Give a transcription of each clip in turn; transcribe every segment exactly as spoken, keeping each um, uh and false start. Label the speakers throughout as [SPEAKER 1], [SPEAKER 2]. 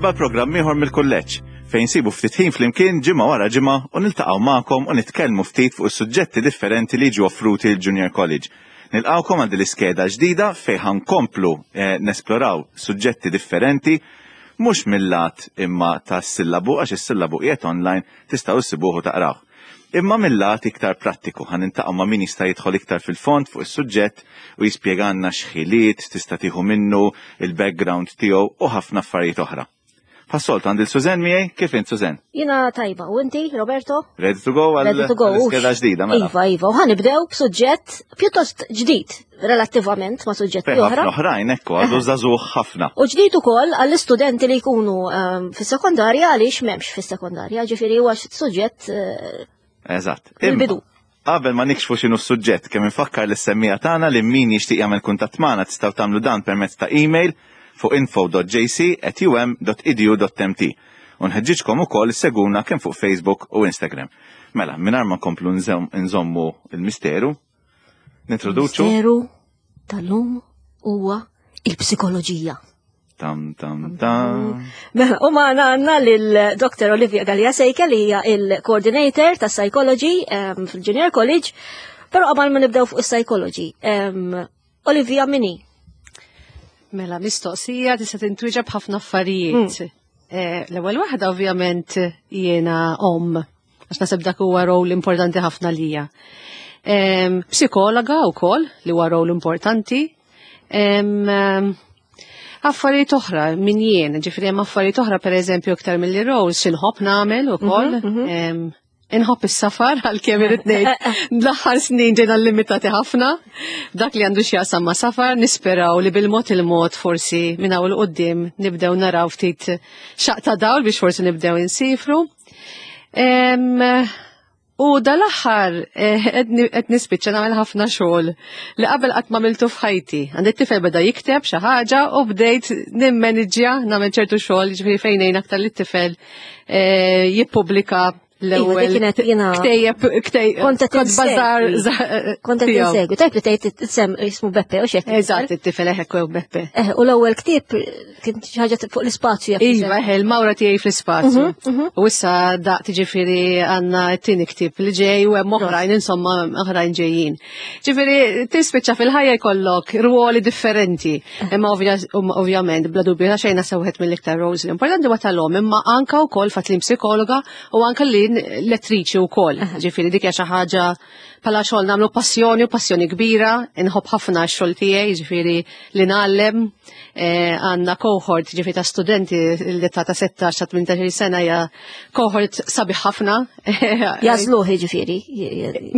[SPEAKER 1] Merħba programm ieħor mill-kulleġġ fejn nsibu ftit ħin flimkien ġimgħa wara ġimgħa u niltaqgħu magħkom u nitkellmu ftit fuq is-suġġetti differenti li jiġu offruti l-Junior College. Nilqawkom għal din l-iskeda ġdida fejn ħa nkomplu eh, nesploraw suġġetti differenti mhux mill-lat imma tas-sillabu, għax is-sillabu qiegħed online, tistgħu issibuh u taqrawh. Imma mill-lat iktar prattiku ħa niltaqgħu ma' min jista' jidħol iktar fil-fond fuq is-suġġett u jispjegalna x'ħiliet tista' tieħu minnu, il-background tiegħu u ħafna affarijiet oħra. Bħas-soltu għandi lil Suzen miegħi. Kif int, Suzen?
[SPEAKER 2] Jiena tajba, u inti, Roberto?
[SPEAKER 1] Ready to go għal
[SPEAKER 2] Ready to go.
[SPEAKER 1] Iskeda ġdida, mela.
[SPEAKER 2] Iva, iva, u ħa nibdew b'suġġett pjuttost ġdid relattivament ma' suġġetti
[SPEAKER 1] Fejn
[SPEAKER 2] oħra.
[SPEAKER 1] ħafna oħrajn, ekku, għadu żagħżugħ ħafna.
[SPEAKER 2] U ġdid ukoll għall-istudenti li jkunu ehm, fis-sekondarja, għaliex m'hemmx fis-sekondarja, ġifieri huwa suġġett eh,
[SPEAKER 1] Eżatt.
[SPEAKER 2] Mill-bidu.
[SPEAKER 1] Imma, qabel ma nikxfu x'inhu s-suġġett, kemm infakkar lis-semmiegħa tagħna li min jixtieq jagħmel kuntatt magħna tistgħu tagħmlu dan permezz ta' email fuq info dot J C at U M dot edu dot M T. U nħeġġiġkom ukoll issegwuna kemm fuq Facebook u Instagram. Mela, mingħajr ma nkomplu nżomm- nżommu il-misteru, nintroduċu.
[SPEAKER 2] Misteru tal-lum huwa il-psikoloġija.
[SPEAKER 1] Tam tam tam.
[SPEAKER 2] Mela, u magħna għandna lil Doctor Olivia Gallia Sejka li hija il-coordinator ta' Psychology em, fil-Junior College. Pero qabel ma nibdew fuq is-psychology, em, Olivia min hi?
[SPEAKER 3] Mela, mistoqsija tista' tintwieġeb b'ħafna affarijiet. Eh, L-ewwel waħda, ovvjament jiena om, għax naħseb dak huwa rol importanti ħafna lija. Em, Psikologa wkoll li huwa rol importanti. Em, em, Affarijiet oħra min jien, ġifieri hemm affarijiet oħra, pereżempju iktar milli roles x'inħobb nagħmel ukoll. Em, Inħobb is-safar, għalkemm irrid ngħid l-aħħar snin ġejna limitati ħafna. Dak li għandu x'jaqsam ma' safar, nisperaw li bil-mod il-mod forsi minn hawn 'il quddiem nibdew naraw ftit xaq ta' dawl biex forsi nibdew insifru. Em, U dal-aħħar eh, qed nispiċċa nagħmel ħafna xogħol li qabel qatt m'għamiltu f'ħajti. Għandi tifel beda jikteb xi ħaġa u bdejt nimmaniġġja, nagħmel ċertu xogħol, ġifieri fejn ngħin aktar lit-tifel eh, jippubblika
[SPEAKER 2] Iva,
[SPEAKER 3] l-ewwel
[SPEAKER 2] dik kienet jiena-
[SPEAKER 3] ktejjeb ktejjeb
[SPEAKER 2] Kont qed
[SPEAKER 3] kont bażar
[SPEAKER 2] insegwi. Kont qed insegwi. Tajb li tgħid isem, jismu Beppe u xek.
[SPEAKER 3] Eżatt, it-tifel eħek u Beppe.
[SPEAKER 2] Eh, u l-ewwel ktieb kien xi ħaġa fuq l-ispazju jekk
[SPEAKER 3] Iva, eħe, il-mawra tiegħi fl-ispazju. U issa daqt ġifieri għandna t-tieni ktieb li ġej u hemm oħrajn, insomma, oħrajn ġejjin. Ġifieri tispiċċa fil-ħajja jkollok ruoli differenti. Imma ovvja- um, ovvjament bla dubju ta' xejn naħseb wieħed mill-iktar roles li importanti huwa tal-om, imma anka wkoll fatt li psikologa u anka li lettriċi wkoll. Ġifieri dik hija xi ħaġa bħala xogħol nagħmlu passjoni u passjoni kbira, inħobb ħafna x-xogħol tiegħi, ġifieri li ngħallem. eh, għandna cohort ġifieri ta' studenti li ta' ta' sittax ta' tmintax-il sena, hija cohort sabiħ ħafna.
[SPEAKER 2] Jagħżluh ġifieri.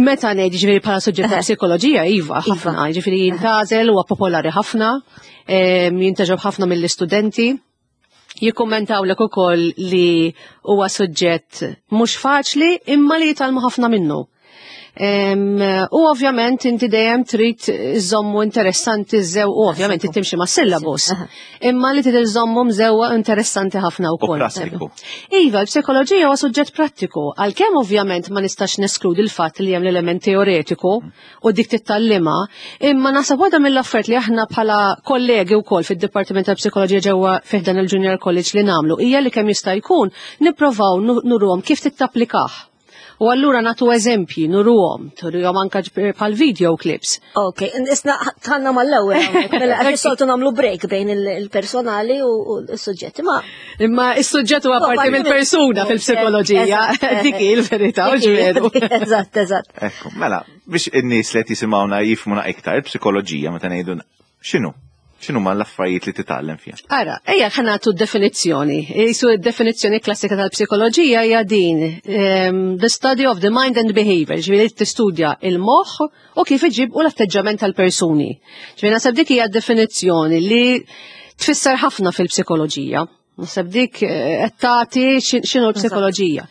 [SPEAKER 3] Meta ngħid ġifieri bħala suġġett ta' psikoloġija, iva, ħafna, ġifieri jintgħażel, huwa popolari ħafna, em, jintgħażel ħafna mill-istudenti. Jikkommentaw lek ukoll li huwa suġġett mhux faċli imma li jitgħallmu ħafna minnu. Em, U ovvjament inti dejjem trid iżommu interessanti żew u ovvjament inti timxi ma' syllabus. Imma li trid iżommu mżewwa interessanti ħafna
[SPEAKER 1] U
[SPEAKER 3] wkoll.
[SPEAKER 1] prattiku.
[SPEAKER 3] Iva, l-psikoloġija huwa suġġett prattiku, għalkemm ovvjament ma nistax neskludi l-fatt li hemm l-element teoretiku u dik titgħallimha, imma naħseb waħda mill-affarijiet li aħna bħala kollegi wkoll fid-Dipartiment tal-Psikoloġija ġewwa fih dan il-Junior College li nagħmlu hija li kemm jista' jkun nipprovaw nu- nuruhom kif tittapplikah. U allura nagħtu eżempji, nuruhom, turihom anka bħal video clips.
[SPEAKER 2] Ok, isna tħanna mal-ewwel hawnhekk, mela għax soltu nagħmlu break bejn il- il-personali u u s-suġġetti, ma
[SPEAKER 3] Imma is-suġġett huwa parti mill-persuna fil-psikoloġija,
[SPEAKER 2] Eżatt,
[SPEAKER 3] dik hi l-verità, u
[SPEAKER 2] dik hi.
[SPEAKER 3] ġveru.
[SPEAKER 2] Eżatt, eżatt.
[SPEAKER 1] Ekku, mela, biex in-nies li qed jisimgħuna jifhmuna iktar, il-psikoloġija meta ngħidu x'inhu? X'inhu ma l-affarijiet li titgħallem fiha?
[SPEAKER 3] Ara, ejja ħa nagħtu definizzjoni. Jisu definizzjoni klassika tal-psikoloġija hija din: um, the study of the mind and behavior, ġifieri tistudja il-moħħ u kif iġib u l-atteġġament tal-persuni. Ġifieri naħseb dik hija definizzjoni li tfisser ħafna fil-psikoloġija. Naħseb dik eh, qed tagħti x'inhu l-psikoloġija.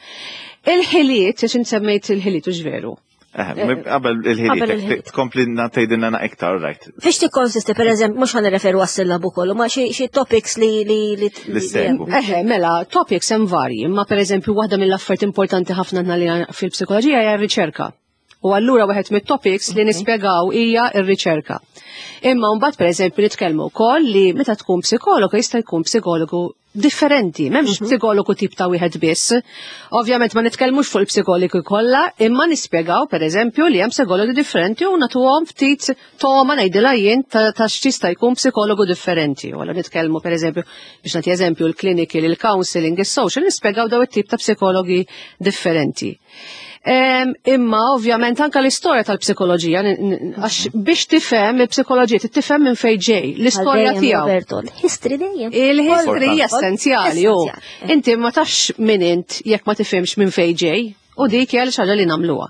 [SPEAKER 3] Il-ħiliet, għax semmejt il-ħiliet, u veru.
[SPEAKER 1] Eh, qabel
[SPEAKER 2] Qabel
[SPEAKER 1] il-ħiliet,
[SPEAKER 2] il-ħiliet.
[SPEAKER 1] tkompli tgħidilna iktar, right?
[SPEAKER 2] Fiex tikkonsisti, per eżempju, mhux ħa nirreferu għas-sillabu kollu, ma xi xi topics li li li
[SPEAKER 1] Li ssegwu.
[SPEAKER 3] Eħe, mela, topics hemm varji, imma per eżempju waħda mill-affarijiet importanti ħafna li fil-psikoloġija hija r-riċerka. U allura wieħed mit-topics li nispjegaw hija r-riċerka. Imma mbagħad, per eżempju, nitkellmu wkoll li meta tkun psikologu jista' jkun psikologu Differenti, m'hemmx psikologu tip ta' wieħed biss. Ovvjament ma nitkellmux fuq il-psikologi kollha, imma nispjegaw, pereżempju, li hemm psikologi differenti u nagħtuhom ftit toma, ngħidilha jien, ta' ta' x'jista' jkun psikologu differenti. U allura nitkellmu, pereżempju, biex nagħti eżempju, il-clinical, il-counseling, is-social, nispjegaw daw it-tip ta' psikologi differenti. Em, imma ovvjament anka l-istorja tal-psikoloġija, n- n- għax biex tifhem il-psikoloġija, tifhem minn fejn ġej, l-istorja
[SPEAKER 2] Għal dejjem,
[SPEAKER 3] tiegħu.
[SPEAKER 2] Roberto, l-history dejjem.
[SPEAKER 3] Il-history hija essenzjali, u
[SPEAKER 2] Essenzjali.
[SPEAKER 3] inti ma tafx min int jekk ma tifhimx minn fejn ġej. U dik hija xi ħaġa li nagħmluha.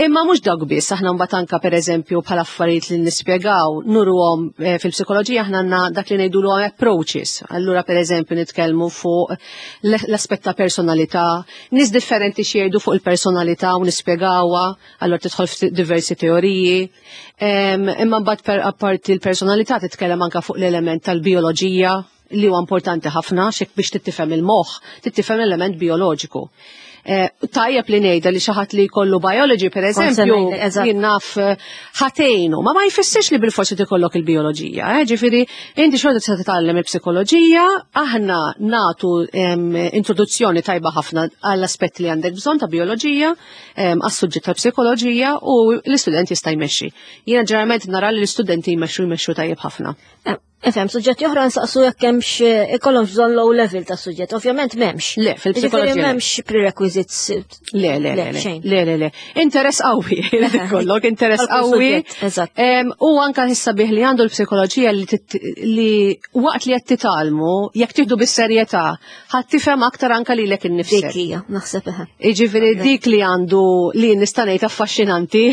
[SPEAKER 3] Imma mhux dawk biss, aħna mbagħad anka, pereżempju, bħala affarijiet li nispjegaw, nuruhom eh, fil-psikoloġija aħna għandna dak li ngħidulhom approaches. Allura, pereżempju, nitkellmu fuq l- l-aspett ta' personalità, nies differenti xi jgħidu fuq il-personalità u nispjegawha, allura tidħol f'diversi teoriji. Em, Imma mbagħad per apparti l-personalità titkellem anka fuq l-element tal-bioloġija li huwa importanti ħafna xek biex tittifhem il-moħħ, tittifhem l-element bioloġiku. Eh, Tajjeb li ngħidha li xi ħadd li jkollu biology, per eżempju,
[SPEAKER 2] ngħidlek, eżatt.
[SPEAKER 3] Jien naf eh, ħatejnu, ma ma jfissirx li bil-forsi tikollok il-bioloġija, eh? Ġifieri, inti xorta tista' titgħallem il-psikoloġija, aħna natu em, introduzzjoni tajba ħafna għall-aspetti li għandek bżonn ta' bioloġija, em, għas-suġġett tal-psikoloġija, u l-istudent jista' jmexxi. Jiena ġeneralment nara li l-istudenti jmexxu jmexxu tajjeb ħafna.
[SPEAKER 2] Eh, Ifhem, suġġetti oħra nsaqsu jekk hemmx ikollhomx bżonn low level ta' suġġett. Ovvjament m'hemmx.
[SPEAKER 3] Le, fil-psikoloġija
[SPEAKER 2] Ġifieri
[SPEAKER 3] le.
[SPEAKER 2] m'hemmx prerequisites.
[SPEAKER 3] Le, le, le, le,
[SPEAKER 2] xejn.
[SPEAKER 3] Le, le, le. Interess qawwi, kollok interess
[SPEAKER 2] Għal kull
[SPEAKER 3] qawwi.
[SPEAKER 2] suġġett, eżatt.
[SPEAKER 3] Em, U anka issa li għandu l-psikoloġija li, tit- li waqt li qed titgħallmu, jekk tieħdu bis-serjetà, ħadd tifhem aktar anka lilek innifsek.
[SPEAKER 2] Dik hija, naħseb eħe.
[SPEAKER 3] Iġifieri dik li għandu li nista' ngħid affaxxinanti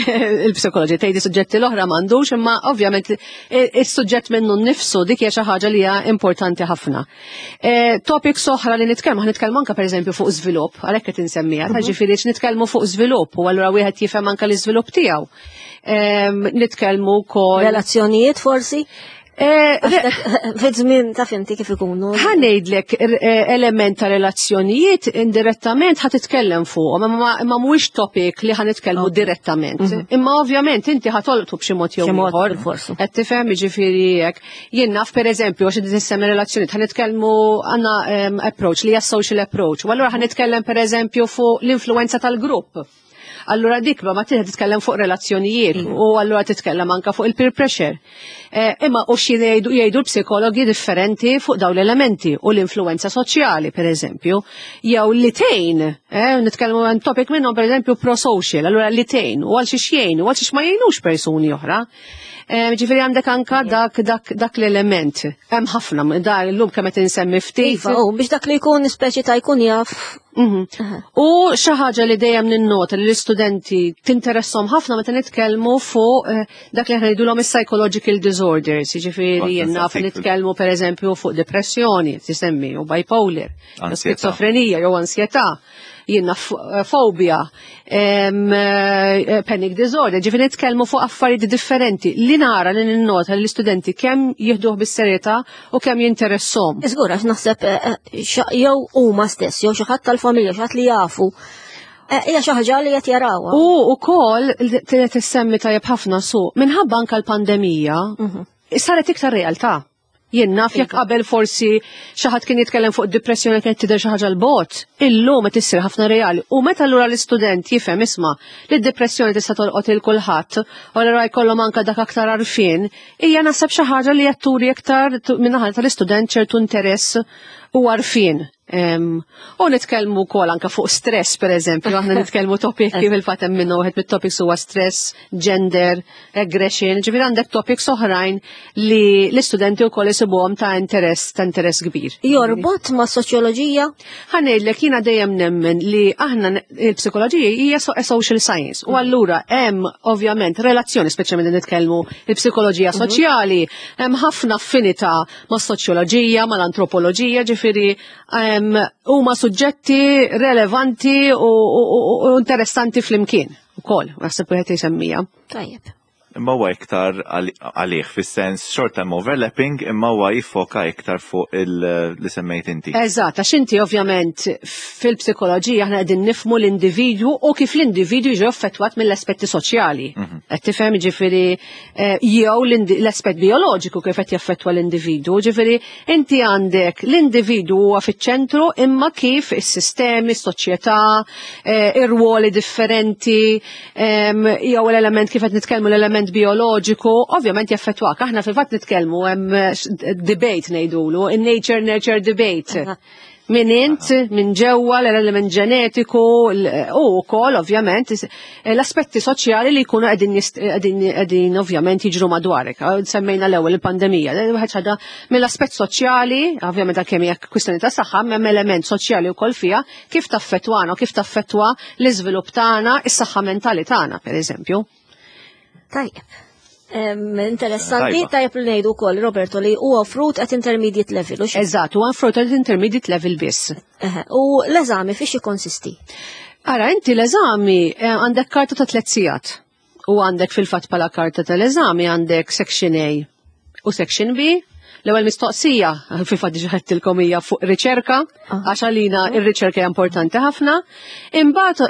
[SPEAKER 3] il-psikoloġija, tgħidi suġġetti l-oħra m'għandux, imma ovvjament is-suġġett minnu nnifsu dik hija xi ħaġa li hija importanti ħafna. Eh, Topics oħra li nitkellmu, ħa nitkellmu anke, pereżempju, fuq żvilupp, għalhekk qed insemmiha, ta' ġifieri nitkellmu fuq żvilupp u allura wieħed jifhem anke l-iżvilupp tiegħu. Em, Nitkellmu wkoll
[SPEAKER 2] Relazzjonijiet forsi?
[SPEAKER 3] Eh, re-
[SPEAKER 2] Fi żmien ta' finti kif ikunu.
[SPEAKER 3] Ħa ngħidlek eh, element ta' relazzjonijiet indirettament ħa titkellem fuq, imma imma mhuwiex topic li ħa nitkellmu direttament. Imma ovvjament inti ħa tolqtu b'xi mod jew
[SPEAKER 2] B'xi mod
[SPEAKER 3] ieħor.
[SPEAKER 2] bil-forsu.
[SPEAKER 3] Qed tifhem, jiġifieri hekk. Jien naf, pereżempju, għax inti tissemmi relazzjonijiet, ħa nitkellmu, għandna em, approach li hija social approach. U allura ħa nitkellem, pereżempju, fuq l-influenza tal-grupp. Allura dik ma ma titkellem fuq relazzjonijiet u allura titkellem anka fuq il-peer pressure. Eh, imma u xi jgħidu jgħidu l-psikologi differenti fuq dawn l-elementi u l-influenza soċjali, per eżempju, jew li tgħin, eh, nitkellmu għan topic minnhom, per eżempju, pro-social, allura li tgħin u għal xiex jgħin u għal xiex ma jgħinux persuni oħra. Eh, Ġifieri għandek anka dak, dak, dak l-element. Hemm ħafna, dar illum kemm qed insemmi ftit.
[SPEAKER 2] Iva, u biex dak li jkun speċi ta' jkun jaf.
[SPEAKER 3] Mhm. U xi ħaġa li dejjem ninnota li l-istudenti tinteressom ħafna meta nitkellmu fuq eh, dak li aħna ngħidulhom is-psychological disorders, jiġifieri
[SPEAKER 1] Kont
[SPEAKER 3] jien naf
[SPEAKER 1] nsaqsik fil-
[SPEAKER 3] nitkellmu, pereżempju, fuq depressjoni, tisemmi, u bipolar, jew
[SPEAKER 1] Ansjetà.
[SPEAKER 3] skizofrenija jew ansjetà, jien naf eh, fobia, em, eh, panic disorder, ġifieri nitkellmu fuq affarijiet differenti li nara li ninnota li l-istudenti kemm jieħduh bis-serjetà u kemm jinteressom.
[SPEAKER 2] Iżgur, għax naħseb eh, eh, xa- jew huma stess, jew xi ħadd tal-familja, xi ħadd li jafu. Eh, Hija xi ħaġa li qed jarawha.
[SPEAKER 3] U ukoll tissemmi tajjeb ħafna su, minħabba anka l-pandemija, saret iktar realtà. Jien naf jekk qabel forsi xi ħadd kien jitkellem fuq depressjoni kienet tidher xi ħaġa 'l bogħod, illum qed issir ħafna reali. U meta allura l-istudent jifhem, isma', li d-depressjoni tista' tolqot il kulħadd, u allura jkollhom anka dak aktar għarfien, hija naħseb xi ħaġa li qed turi aktar min-naħa tal-istudent ċertu interess u għarfien. Em, U nitkellmu wkoll anka fuq stress, per eżempju, aħna nitkellmu topic kif il-fatt hemm minnu wieħed mit-topics huwa stress, gender, aggression, ġifieri għandek topics oħrajn li l-istudenti wkoll isibuhom ta' interess ta' interess kbir.
[SPEAKER 2] Jorbot ma' soċjoloġija?
[SPEAKER 3] Ħa ngħidlek, jiena dejjem nemmen li aħna il-psikoloġija hija so- social science u allura hemm ovvjament relazzjoni, speċjalment nitkellmu il-psikoloġija soċjali, hemm ħafna affinità ma' soċjoloġija, mal-antropoloġija, ġifieri em, huma suġġetti relevanti u, u, u- u interessanti flimkien ukoll, naħseb wieħed jsemmija.
[SPEAKER 2] Tajjeb.
[SPEAKER 1] Imma huwa iktar għal- għalih fis-sens short term overlapping, imma huwa jiffoka iktar fuq il- li semmejt inti.
[SPEAKER 3] Eżatt, għax inti ovvjament fil-psikoloġija aħna qegħdin nifmu l-individwu u kif l-individwu jiġi affettwat mill-aspetti soċjali. Qed tifhem, ġifieri, eh, jew l-aspett bioloġiku kif qed jaffettwa l-individwu, ġifieri inti għandek l-individwu huwa fiċ-ċentru, imma kif is-sistemi, s-soċjetà, eh, ir-ruoli differenti, jew l-element kif qed nitkellmu l-element bioloġiku, ovvjament jaffettwak. Aħna fil-fatt nitkellmu hemm debate ngħidulu, in-nature nurture debate. Min int, minn ġewwa l-element ġenetiku u wkoll ovvjament l-aspetti soċjali li jkunu qegħdin qegħdin ovvjament jiġru madwarek. Semmejna l-ewwel il-pandemija. Wieħed ħaġa mill-aspett soċjali, ovvjament kemm hija kwistjoni ta' saħħa, hemm element soċjali wkoll fiha kif taffettwana u kif taffettwa l-iżvilupp tagħna, is-saħħa mentali tagħna, pereżempju.
[SPEAKER 2] Tajjeb. Interessanti, tajjeb li ngħidu wkoll, Roberto, li huwa offrut at intermediate level.
[SPEAKER 3] Eżatt, huwa offrut at intermediate level biss.
[SPEAKER 2] U l-eżami fiex jikkonsisti?
[SPEAKER 3] Ara, inti l-eżami eh, għandek karta ta' tliet sigħat. U għandek fil-fatt bħala karta tal-eżami għandek section A u section B. L-ewwel mistoqsija, fil-fatt diġà għedtilkom, hija fuq riċerka, ah. għax għalina ir-riċerka hija importanti ħafna. Imbagħad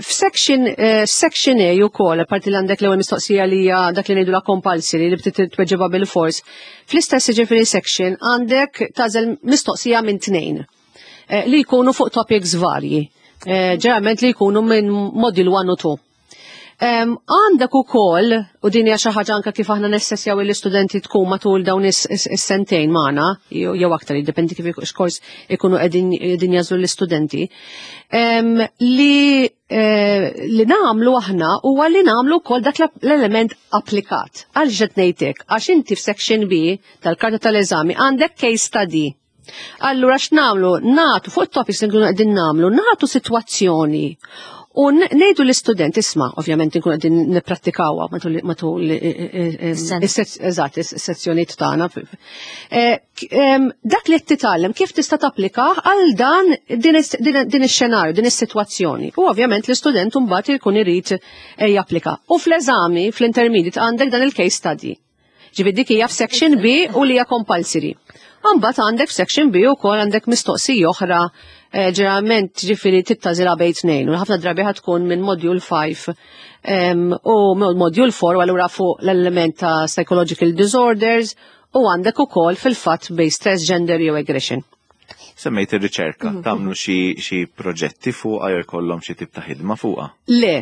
[SPEAKER 3] f'section eh, section A wkoll, apparti li għandek l-ewwel mistoqsija li hija dak li ngħidu la compulsory li btit tweġibha bil-fors. Fl-istess ġifieri section għandek tagħżel mistoqsija minn tnejn eh, li jkunu fuq topics varji. Eh, ġeneralment li jkunu minn module one u two. Għandek ukoll, u din hija xi ħaġa anke kif aħna nessessjaw l-istudenti tkun matul dawn is-sentejn magħna, jew aktar, jiddependi kif x'kors ikunu qegħdin jagħżlu l-istudenti, li eh, li nagħmlu aħna huwa li nagħmlu wkoll dak l-element applikat. Għal qed ngħidlek, għax inti f'section B tal-karta tal-eżami għandek case study. Allura x'nagħmlu? Nagħtu fuq it-topics li nkunu qegħdin nagħmlu, nagħtu sitwazzjoni u ngħidu l-istudent, isma', ovvjament nkun qegħdin nipprattikawha matul eżatt is-sezzjonijiet tagħna. Eh, dak li qed titgħallem kif tista' tapplika għal dan din ix-xenarju, din is-sitwazzjoni. U ovvjament l-istudent mbagħad jkun irid eh, japplika. U fl-eżami, fl-intermediate, għandek dan il-case study. Ġifieri dik hija f'section B u li hija compulsory. Mbagħad għandek f'section B ukoll għandek mistoqsija oħra, eh, ġeneralment ġifieri tagħżilha bejn tnejn u ħafna drabi ħa tkun minn module five u module four, u allura fuq l-element ta' psychological disorders u għandek ukoll fil-fatt bejn stress, gender jew aggression.
[SPEAKER 1] Semmejt ir-riċerka, mhm. tagħmlu xi proġetti fuqha jew jkollhom xi tip ta' ħidma fuqha?
[SPEAKER 3] Le,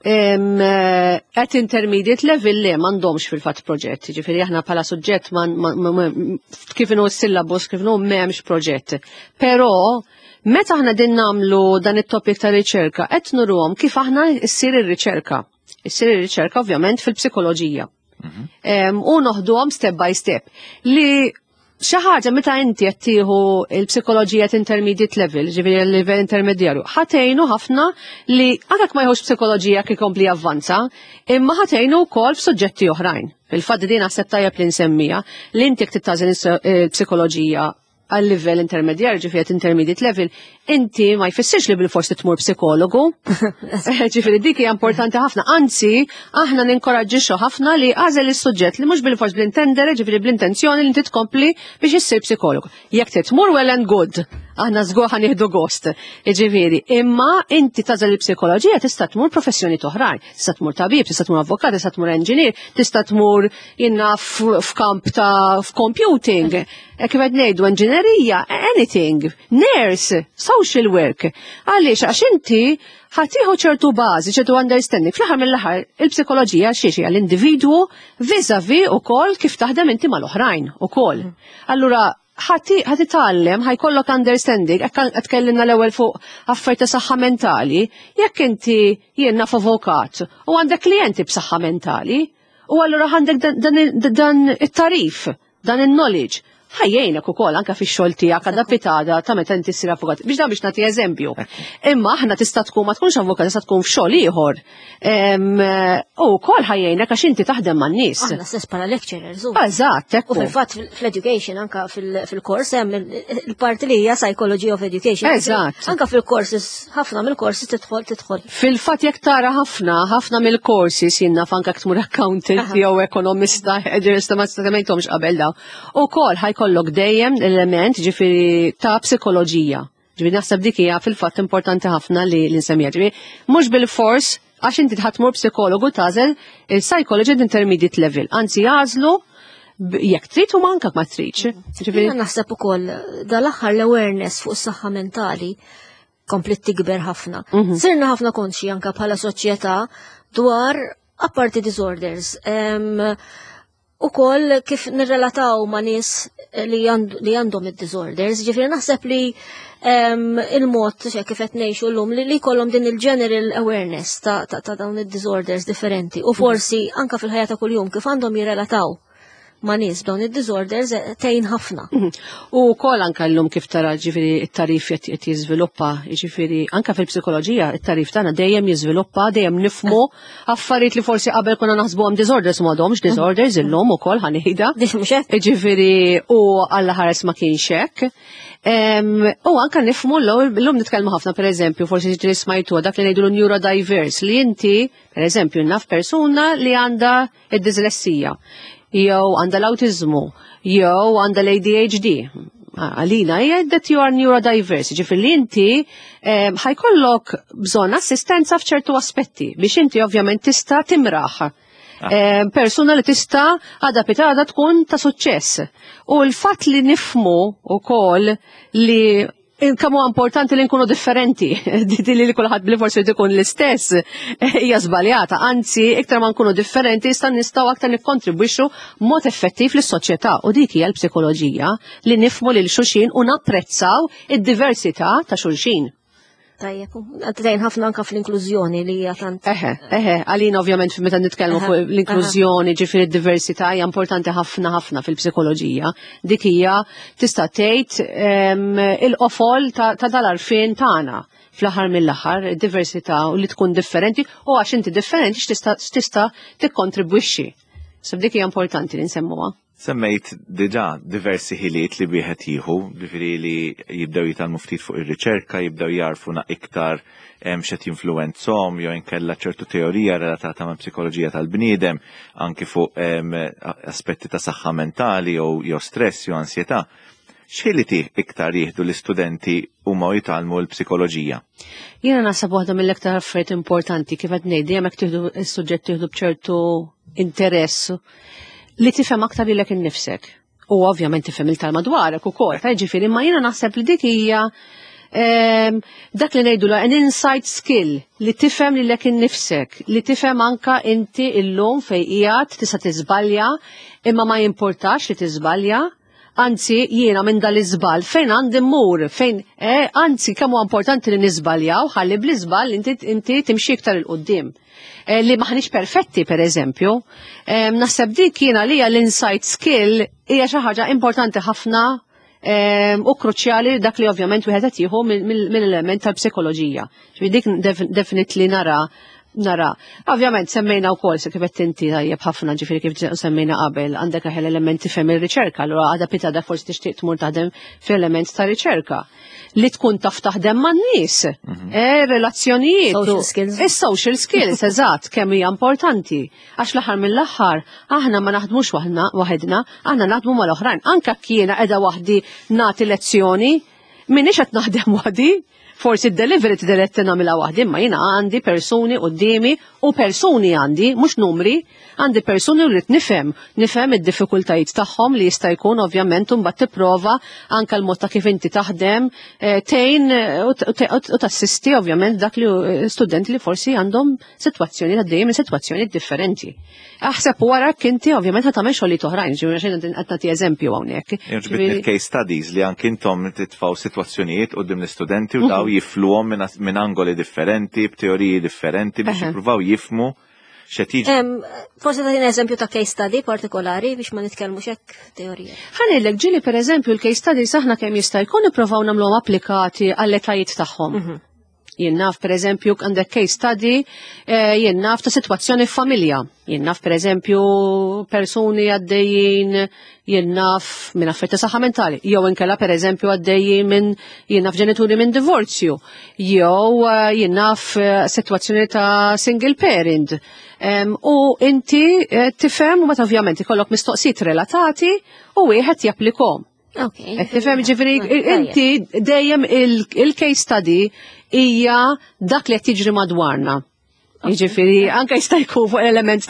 [SPEAKER 3] eh, at intermediate level le, m'għandhomx fil-fatt proġett, ġifieri aħna bħala suġġett kif inhu s-syllabus, kif inhu, m'hemmx proġett. Però meta aħna din nagħmlu dan it-topic ta' riċerka, qed nuruhom kif aħna ssir ir-riċerka. Issir ir-riċerka ovvjament fil-psikoloġija. Mhm. U noħduhom step by step. Li xi ħaġa meta inti qed tieħu l-psikoloġija intermediate level, ġifieri l-livell intermedjarju, ħa tgħinu ħafna li anke ma jieħux psikoloġija kif ikompli avvanza, imma ħa tgħinu wkoll f'suġġetti oħrajn. Fil-fatt din naħseb tajjeb li nsemmija li inti jekk tagħżel il-psikoloġija għal livell intermedjarju, ġifieri intermediate level, inti ma jfissirx li bil-forsi tmur psikologu. Ġifieri dik hija importanti ħafna. Anzi, aħna ninkoraġġixxu ħafna li għażel is-suġġett li mhux bil-fors bl-intendere, ġifieri bl-intenzjoni li inti tkompli biex issir psikologu. Jekk tmur, well and good, aħna żgur ħa nieħdu gost. Ġifieri, imma inti tagħżel il-psikoloġija, tista' tmur professjoni oħrajn. Tista' tmur tabib, tista' tmur avukat, tista' tmur engineer, tista' tmur jinna f'kamp ta' f'computing. Kif qed ngħidu, engineerija, anything, nurse, social work. Għaliex? Għax inti ħa tieħu ċertu bażi, ċertu understanding. Fl-aħħar mill-aħħar il-psikoloġija xiex hija l-individwu vis-a-vis ukoll kif taħdem inti mal-oħrajn ukoll. Allura ħa titgħallem, ħa jkollok understanding, qed tkellimna l-ewwel fuq affarijiet ta' saħħa mentali, jekk inti jien naf avukat u għandek klijenti b'saħħa mentali, u allura għandek dan it-tagħrif, dan il-knowledge, ħa jgħinek ukoll anke fix-xogħol tiegħek għadha pitgħada ta' meta inti ssir avukat. Biex dan biex nagħti eżempju. Imma aħna tista' tkun ma tkunx avukat, tista' tkun f'xogħol ieħor. U wkoll ħa jgħinek għax inti taħdem man-nies.
[SPEAKER 2] Aħna stess bħala lecturers.
[SPEAKER 3] Eżatt,
[SPEAKER 2] U fil-fatt fl-education, anka fil-kors hemm il-parti li hija psychology of education.
[SPEAKER 3] Eżatt.
[SPEAKER 2] Anka fil-courses, ħafna mill-courses tidħol tidħol.
[SPEAKER 3] Fil-fatt jekk tara ħafna, ħafna mill-courses jiena anka tmur accountant jew ekonomista, ġerista ma semmejthomx qabel daw. Ukoll ħa jkollok dejjem element ġifieri ta' psikoloġija. Ġifieri naħseb dik hija fil-fatt importanti ħafna li l-insemmija. Ġifieri mhux bil-fors Għax inti ħa tmur psikologu tagħżel il-psychology intermediate level. Anzi jagħżlu jekk trid u manka ma tridx.
[SPEAKER 2] Jiena naħseb ukoll dal-aħħar l-awareness fuq is-saħħa mentali komplet tikber ħafna. Mhm. Sirna ħafna konxi anka bħala soċjetà dwar apparti disorders. U koll kif nirrelataw ma' nies li għandhom id-disorders, ġifieri naħseb li il-mod kif qed ngħixu llum li jkollhom din il-general awareness ta', ta, ta dawn id-disorders differenti u forsi anka fil-ħajja ta' kuljum kif għandhom jirrelataw ma' nies b'dawn id-disorders eh, tgħin ħafna.
[SPEAKER 3] Mhm. U wkoll anka llum kif tara ġifieri it-tagħrif qed jiżviluppa, ġifieri anka fil-psikoloġija it-tagħrif tagħna dejjem jiżviluppa, dejjem nifhmu affarijiet li forsi qabel konna naħsbuhom disorders m'għadhomx disorders illum ukoll ħa ngħidha. Ġifieri u Alla ħares ma kienx hekk. U anka nifhmu l-lum nitkellmu ħafna per eżempju, forsi ġieli smajtu dak li ngħidu neurodiverse li inti, per eżempju, naf persuna li għandha id-dislessija jew għandha l-autizmu, jew għandha l-A D H D. Għalina hija that you are neurodiverse, ġifieri li inti ħa jkollok bżonn assistenza f'ċertu aspetti biex inti ovvjament tista' timraħ. Ah. Persuna li tista' għada pitgħada tkun ta' suċċess. U l-fatt li nifhmu ukoll li kemm huwa importanti li nkunu differenti, di li kulħadd li forsi ikun l-istess hija żbaljata, anzi iktar ma nkunu differenti sta nistgħu aktar nikkontribwixxu mod effettiv lis-soċjetà u dik hija l-psikoloġija li nifhmu lil xulxin u napprezzaw id-diversità ta' xulxin.
[SPEAKER 2] Tajjeb, tgħin ħafna anka fl-inklużjoni li hija tant.
[SPEAKER 3] Eħe, eħe, għalina ovvjament meta nitkellmu fuq l-inklużjoni, ġifieri d-diversità hija importanti ħafna ħafna fil-psikoloġija. Dik hija tista' tgħid il-qofol ta' dal-għarfien tagħna fl-aħħar mill-aħħar, diversità u li tkun differenti u għax inti differenti x'tista' tikkontribwixxi. So dik hija importanti li nsemmuha.
[SPEAKER 1] Semmejt diġà diversi ħiliet li wieħed jieħu, ġifieri li jibdew jitgħallmu ftit fuq ir-riċerka, jibdew jarfuna iktar x'qed jinfluwenzahom jew inkella ċertu teorija relatata ma' psikoloġija tal-bniedem, anki fuq aspetti ta' saħħa mentali jew jew stress jew ansjetà. X'ħiliet iktar jieħdu l-istudenti huma jitgħallmu l-psikoloġija?
[SPEAKER 3] Jiena naħseb waħda mill-iktar affarijiet importanti kif qed ngħid dejjem hekk tieħdu s-suġġett tieħdu b'ċertu interess li tifhem aktar lilek innifsek. U ovvjament tifhem il-tal madwarek ukoll, ta' ġifieri imma jiena naħseb li dik hija ehm, dak li ngħidu an insight skill li tifhem lilek innifsek, li tifhem anka inti illum fejn qiegħed tista' tiżbalja, imma ma jimportax li tiżbalja, anzi jiena minn dal-iżball fejn għandi mmur, fejn eh, anzi kemm huwa importanti li niżbaljaw ħalli bl-iżball inti, inti timxi iktar 'il quddiem. Eh, li maħniex perfetti per eżempju. Eh, naħseb dik jiena li l-insight skill hija xi ħaġa importanti ħafna eh, u kruċjali dak li ovvjament wieħed qed jieħu mill-element tal-psikoloġija. Ġifieri dik definitely nara nara. Ovvjament semmejna wkoll se kif qed inti tajjeb ħafna ġifieri kif semmejna qabel għandek aħel elementi fem il-riċerka, allura għada pitgħada forsi tixtieq tmur taħdem fl-element ta' riċerka. Li tkun taf taħdem man-nies, mhm. eh, relazzjonijiet.
[SPEAKER 2] Social skills.
[SPEAKER 3] Is-social skills, eżatt, kemm hija importanti. Għax l-aħħar mill-aħħar aħna ma naħdmux waħedna, aħna naħdmu mal-oħrajn. Anka kiena qiegħda waħdi nagħti lezzjoni, minix qed naħdem waħdi, forsi d-delivery t-diretti nagħmilha waħdi, imma jiena għandi persuni qudiemi u persuni għandi, mhux numri, għandi persuni u rrid nifhem, nifhem id-diffikultajiet tagħhom li jista' jkun ovvjament mbagħad tipprova anke l-mod ta' kif inti taħdem eh, tgħin eh, u tassisti ovvjament dak li eh, studenti li forsi għandhom sitwazzjoni għaddejjem minn sitwazzjoni differenti. Aħseb wara kinti ovvjament ħa tagħmel xogħlijiet oħrajn, ġifieri xejn qed nagħti eżempju hawnhekk.
[SPEAKER 1] Ġibitni il-case studies li anki intom titfgħu sitwazzjonijiet quddiem l-istudenti u daw mhm. jifluhom minn angoli differenti, b'teoriji differenti biex jippruvaw jifhmu x'qed jiġri.
[SPEAKER 2] Forsi tagħtina eżempju ta' case study partikolari biex ma nitkellmux hekk teorija.
[SPEAKER 3] Ħa ngħidlek ġieli per eżempju l-case studies aħna kemm jista' jkun ippruvaw nagħmluhom applikati għall-etajiet tagħhom. Mhm. Jien naf per eżempju għandek case study, eh, jien naf ta' sitwazzjoni f'familja. Jien naf per eżempju persuni għaddejjin, jien naf minn affarijiet ta' saħħa mentali, jew inkella per eżempju għaddejjin minn jien naf ġenituri minn divorzju, jew eh, jien naf eh, sitwazzjoni ta' single parent. Em, U inti eh, tifhem u meta ovvjament ikollok mistoqsijiet relatati u wieħed japplikhom.
[SPEAKER 2] Ok.
[SPEAKER 3] Qed tifhem ġifieri inti dejjem il- il-case study hija dak li qed jiġri madwarna. Jiġifieri anke jista' jkun fuq element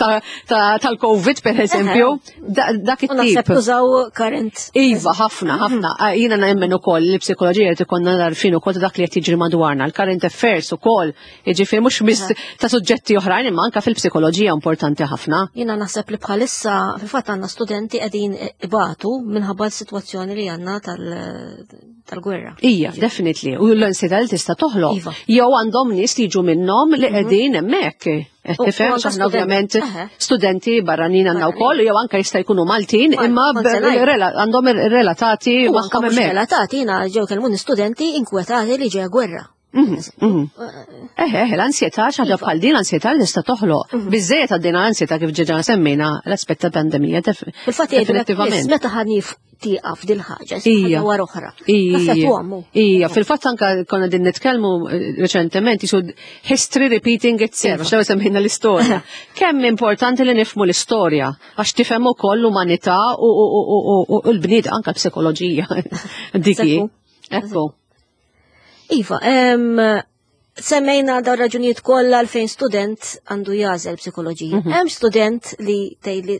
[SPEAKER 3] tal-Covid per eżempju, dak
[SPEAKER 2] U
[SPEAKER 3] it-tip.
[SPEAKER 2] naħseb tużaw current.
[SPEAKER 3] Iva, ħafna, ħafna. Ah, jiena nemmen ukoll li psikoloġija qed ikollna għarfien ukoll ta' dak li qed jiġri madwarna, l-current affairs ukoll, jiġifieri mhux biss ta' suġġetti oħrajn imma anke fil-psikoloġija importanti ħafna.
[SPEAKER 2] Jiena naħseb li bħalissa fil-fatt għandna studenti qegħdin ibatu minħabba l-sitwazzjoni li għandna tal- tal-gwerra.
[SPEAKER 3] Ija, definitely. U l-ansjetà li tista' toħloq.
[SPEAKER 2] Iva.
[SPEAKER 3] Jew għandhom nies li jiġu minnhom li qegħdin hemmhekk. Qed
[SPEAKER 2] U-
[SPEAKER 3] tifhem
[SPEAKER 2] u anke
[SPEAKER 3] aħna
[SPEAKER 2] studenti.
[SPEAKER 3] ovvjament
[SPEAKER 2] Eħe.
[SPEAKER 3] studenti barranin għandna
[SPEAKER 2] Barranin.
[SPEAKER 3] wkoll, jew anke jista' jkunu Maltin,
[SPEAKER 2] Mal-
[SPEAKER 3] imma
[SPEAKER 2] kont se ngħid.
[SPEAKER 3] rela- għandhom relatati
[SPEAKER 2] U anka
[SPEAKER 3] magħhom
[SPEAKER 2] mhux
[SPEAKER 3] hemmhekk.
[SPEAKER 2] relatati, jiena ġew kellmuni studenti inkwetati li ġeja gwerra.
[SPEAKER 3] Mhm, mhm. Eħe, eħe, l-ansjetà xi ħaġa bħal din l-ansjetà li tista' toħloq. Biżejjed għaddejna l-ansjetà kif ġeġa semmejna l-aspett ta' pandemija. def-
[SPEAKER 2] Fil-fatt jgħidu
[SPEAKER 3] Definitivament.
[SPEAKER 2] meta ħa tieqaf dil-ħaġa,
[SPEAKER 3] Ija.
[SPEAKER 2] ħaġa wara oħra.
[SPEAKER 3] Ija,
[SPEAKER 2] Taffettwa
[SPEAKER 3] Ija, fil-fatt anka konna din nitkellmu eh, reċentement jisu history repeating itself, għax semmejna l-istorja. Kemm importanti li nifhmu l-istorja, għax tifhem ukoll l-umanità u- u u- u- u l-bnied anka psikoloġija. Diki.
[SPEAKER 2] Ekku.
[SPEAKER 3] Ekku.
[SPEAKER 2] Iva, em, semmejna dawn raġunijiet kollha għalfejn student għandu jagħżel psikoloġija.
[SPEAKER 3] Mhm.
[SPEAKER 2] Hemm student li tgħidli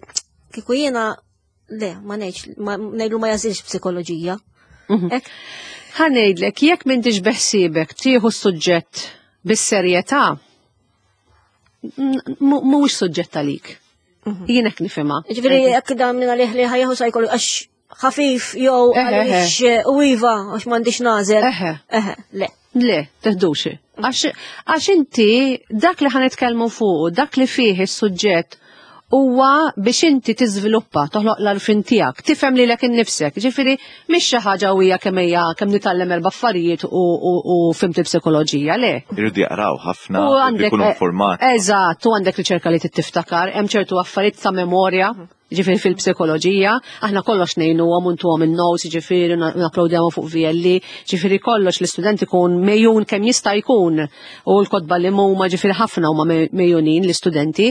[SPEAKER 2] kieku jiena le, ma ngħidx, ma ngħidlu ma jagħżilx psikoloġija.
[SPEAKER 3] Mhm.
[SPEAKER 2] Ek,
[SPEAKER 3] Ħa ngħidlek, jekk m'intix beħsiebek tieħu s-suġġett bis-serjetà, m- mhuwiex suġġett għalik. Jien hekk nifhimha.
[SPEAKER 2] Ġifieri jekk dan minn għalih li ħa jieħu psychology għax ħafif jew
[SPEAKER 3] Eħe,
[SPEAKER 2] għaliex u iva għax m'għandix nagħżel.
[SPEAKER 3] Eħe.
[SPEAKER 2] Eħe, le.
[SPEAKER 3] Le, teħdux. Għax għax inti dak li ħa nitkellmu fuq, dak li fih is-suġġett huwa biex inti tiżviluppa, toħloq l-għarfien tiegħek, tifhem lilek innifsek. Ġifieri mhix xi ħaġa hija kemm hija kemm nitgħallem erba' affarijiet u, u, u fhimt il-psikoloġija, le.
[SPEAKER 1] Irridu jaqraw ħafna,
[SPEAKER 3] U għandek
[SPEAKER 1] ikunu informati.
[SPEAKER 3] Eżatt, u għandek riċerka li tiftakar, hemm ċertu affarijiet ta' memorja, ġifieri fil-psikoloġija, aħna kollox ngħinu għom untuhom in-notes, ġifieri napplodjawhom fuq V L E, ġifieri kollox l-istudent ikun megħjun kemm jista' jkun u l-kotba li huma ġifieri ħafna huma megħjunin l-istudenti,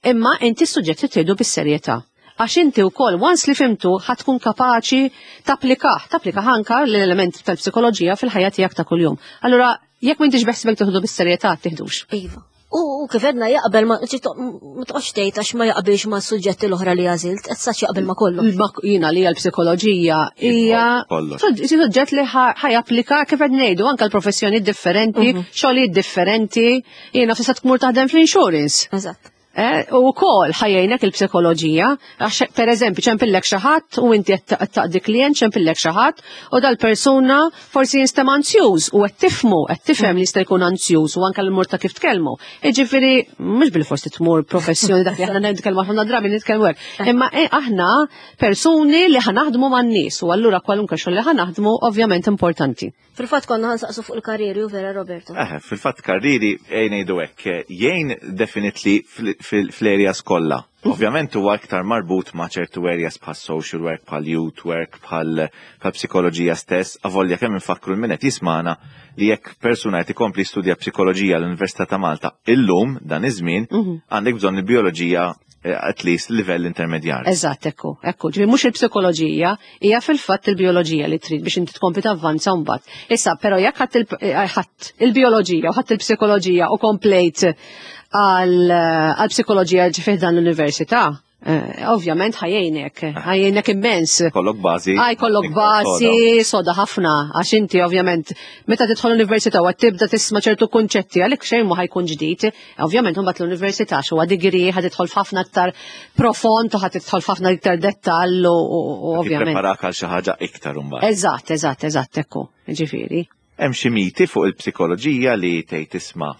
[SPEAKER 3] imma inti s-suġġett tieħdu bis-serjetà. Għax inti wkoll, once li fhimtu, ħa tkun kapaċi tapplikah, tapplikah anka l-element tal-psikoloġija fil-ħajja tiegħek ta' kuljum. Allura, jekk m'intix beħsibek tieħdu bis-serjetà, tiħdux.
[SPEAKER 2] Iva. U u kif għedna jaqbel ma ġi to- ma toqgħodx tgħid għax ma jaqbilx ma' suġġetti l-oħra li għażilt, qed sax jaqbel ma' kollox.
[SPEAKER 3] Ma jina li l-psikoloġija hija
[SPEAKER 1] Kollox.
[SPEAKER 3] suġġett li ħa japplika kif qed ngħidu anke l-professjoni differenti, xogħlijiet differenti, jiena tista' tmur taħdem fl-insurance.
[SPEAKER 2] Eżatt.
[SPEAKER 3] Eh, u wkoll ħa jgħinek il-psikoloġija, għax per eżempju ċempillek xi ħadd u inti qed taqdi klient ċempillek xi ħadd u dal-persuna forsi jinstema' anzjuż u qed tifhmu, qed tifhem li jista' jkun anzjuż u anke l-mod ta' kif tkellmu. Jiġifieri mhux bil-forsi tmur professjoni dak li aħna nitkellmu ħafna drabi nitkellmu hekk. Imma eh, aħna persuni li ħa naħdmu man-nies u allura kwalunkwe xogħol li ħa naħdmu ovvjament importanti.
[SPEAKER 2] Fil-fatt konna ħa nsaqsu fuq il-karriri u vera, Roberto.
[SPEAKER 1] Eh, fil-fatt karriri ejn ngħidu hekk, jgħin definitely fl-areas kollha. Ovvjament huwa aktar marbut ma' ċertu areas bħal social work, bħal youth work, bħal bħal psikoloġija stess, avolja kemm infakru l-min qed jismana li jekk persuna qed ikompli studja psikoloġija l-Università ta' Malta illum dan iż-żmien għandek bżonn il-bioloġija eh, at least livell intermedjarju.
[SPEAKER 3] Eżatt, ekku, ekku. Ġifieri mhux il-psikoloġija, hija fil-fatt il-bioloġija li trid biex inti tkompli tavvanza mbagħad. Issa, però jekk ħadd il- eh, ħadd il-bioloġija u ħadd il-psikoloġija u komplejt għal għal psikoloġija ġifieri dan l-università, eh, ovvjament ħa jgħinek, ħa jgħinek immens.
[SPEAKER 1] Kollok bażi.
[SPEAKER 3] Għaj kollok bażi soda ħafna, għax inti ovvjament meta tidħol l-università u tibda tisma' ċertu kunċetti għalik xejn ma ħa jkun ġdid, ovvjament mbagħad l-università huwa degree ħa tidħol f'ħafna aktar profond u ħa tidħol f'ħafna iktar dettall u u ovvjament.
[SPEAKER 1] Preparak għal xi ħaġa iktar imbagħad.
[SPEAKER 3] Eżatt, eżatt, eżatt, ekku, ġifieri.
[SPEAKER 1] Hemm xi miti fuq il-psikoloġija li tgħid tisma'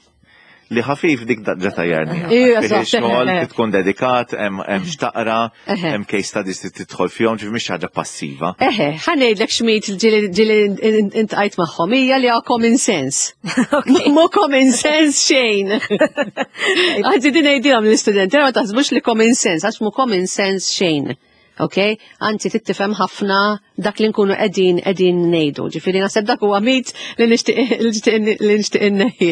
[SPEAKER 1] li ħafif dik ġa tajjarni.
[SPEAKER 3] Ija, eżatt,
[SPEAKER 1] Xogħol
[SPEAKER 3] eħe.
[SPEAKER 1] tkun dedikat, hemm hemm x'taqra,
[SPEAKER 3] Eħe.
[SPEAKER 1] hemm case studies li tidħol fihom, ġifieri mhix ħaġa passiva.
[SPEAKER 3] Eħe, ħa ngħidlek x'mit ġieli ġieli iltqajt magħhom, hija li common sense. Mhu common sense xejn. Għaddi din ngħidilhom l-istudenti, ma taħsbux li common sense, għax mhu common sense xejn. Ok? Anzi, tifhem ħafna dak li nkunu qegħdin qegħdin ngħidu. Ġifieri naħseb dak huwa mit li nixtieq li nixtieq li nixtieq inneħħi.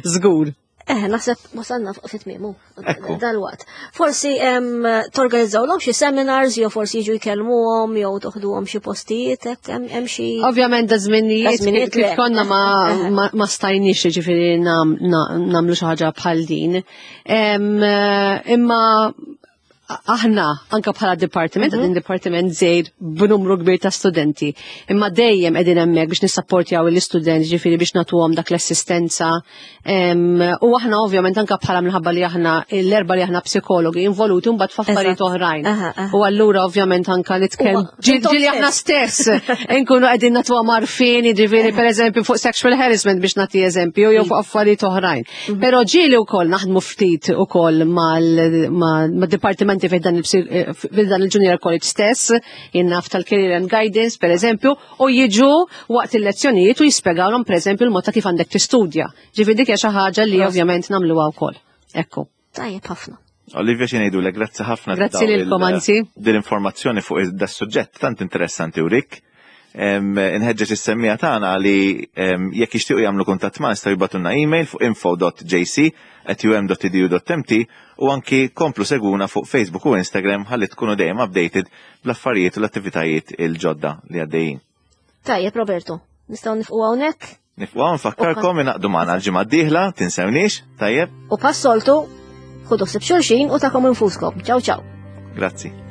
[SPEAKER 3] Żgur.
[SPEAKER 2] Eh, naħseb wasalna fi tmiemu
[SPEAKER 1] Ekku.
[SPEAKER 2] dal-waqt. Forsi em, torganizzawlhom xi seminars jew forsi jiġu jkellmuhom jew toħduhom xi postijiet, hekk hemm hemm xi.
[SPEAKER 3] Ovvjament da
[SPEAKER 2] Da
[SPEAKER 3] żminijiet
[SPEAKER 2] żminijiet
[SPEAKER 3] kif
[SPEAKER 2] le.
[SPEAKER 3] konna ma, ma, ma stajniex ġifieri nam, na, nagħmlu xi ħaġa bħal din. Em, eh, Imma aħna anka bħala dipartiment, mm dipartiment żgħir b'numru kbir ta' studenti. Imma dejjem qegħdin hemmhekk biex nissapportjaw l-istudenti, ġifieri biex nagħtuhom dak l-assistenza. Em, U aħna ovvjament anka bħala minħabba li aħna l-erba li aħna psikologi involuti mbagħad f'affarijiet
[SPEAKER 2] Eżatt.
[SPEAKER 3] oħrajn.
[SPEAKER 2] Aha, aha.
[SPEAKER 3] U allura ovvjament anka nitkellem
[SPEAKER 2] Huwa-
[SPEAKER 3] ġieli ġieli aħna stess nkunu qegħdin nagħtuha għarfien, ġifieri pereżempju fuq sexual harassment biex nagħti eżempju jew fuq affarijiet oħrajn. Però ġieli wkoll naħdmu ftit ukoll mal-dipartimenti fi dan il- fi dan il-Junior College stess, jien naf tal-Career and Guidance pereżempju, u jiġu waqt il-lezzjonijiet u jispjegawlhom pereżempju l-mod ta' kif għandek tistudja. Ġifieri dik hija xi ħaġa li ovvjament nagħmluha wkoll. Ekku.
[SPEAKER 2] Tajjeb ħafna.
[SPEAKER 1] Olivia, xi ngħidulek, grazzi ħafna.
[SPEAKER 3] Grazzi lilkom, anzi.
[SPEAKER 1] Din informazzjoni fuq da suġġett tant interessanti u rik. Inħeġġeġ is-semmiegħa tagħna li em, jekk jixtiequ jagħmlu kuntatt ma jistgħu jibagħtulna email fuq info dot J C at U M dot edu dot M T u anki komplu segwuna fuq Facebook u Instagram ħalli tkunu dejjem updated bl-affarijiet u l-attivitajiet il-ġodda li għaddejjin.
[SPEAKER 2] Tajjeb, Roberto, nistgħu nieqfu hawnhekk.
[SPEAKER 1] Nieqfu hawn, nfakkarkom ingħaqdu magħna l-ġimgħa d-dieħla, tinsewniex, tajjeb?
[SPEAKER 2] U bħas-soltu, ħudu ħsieb xulxin u tagħkom infuskom. Ciao ciao.
[SPEAKER 1] Grazzi.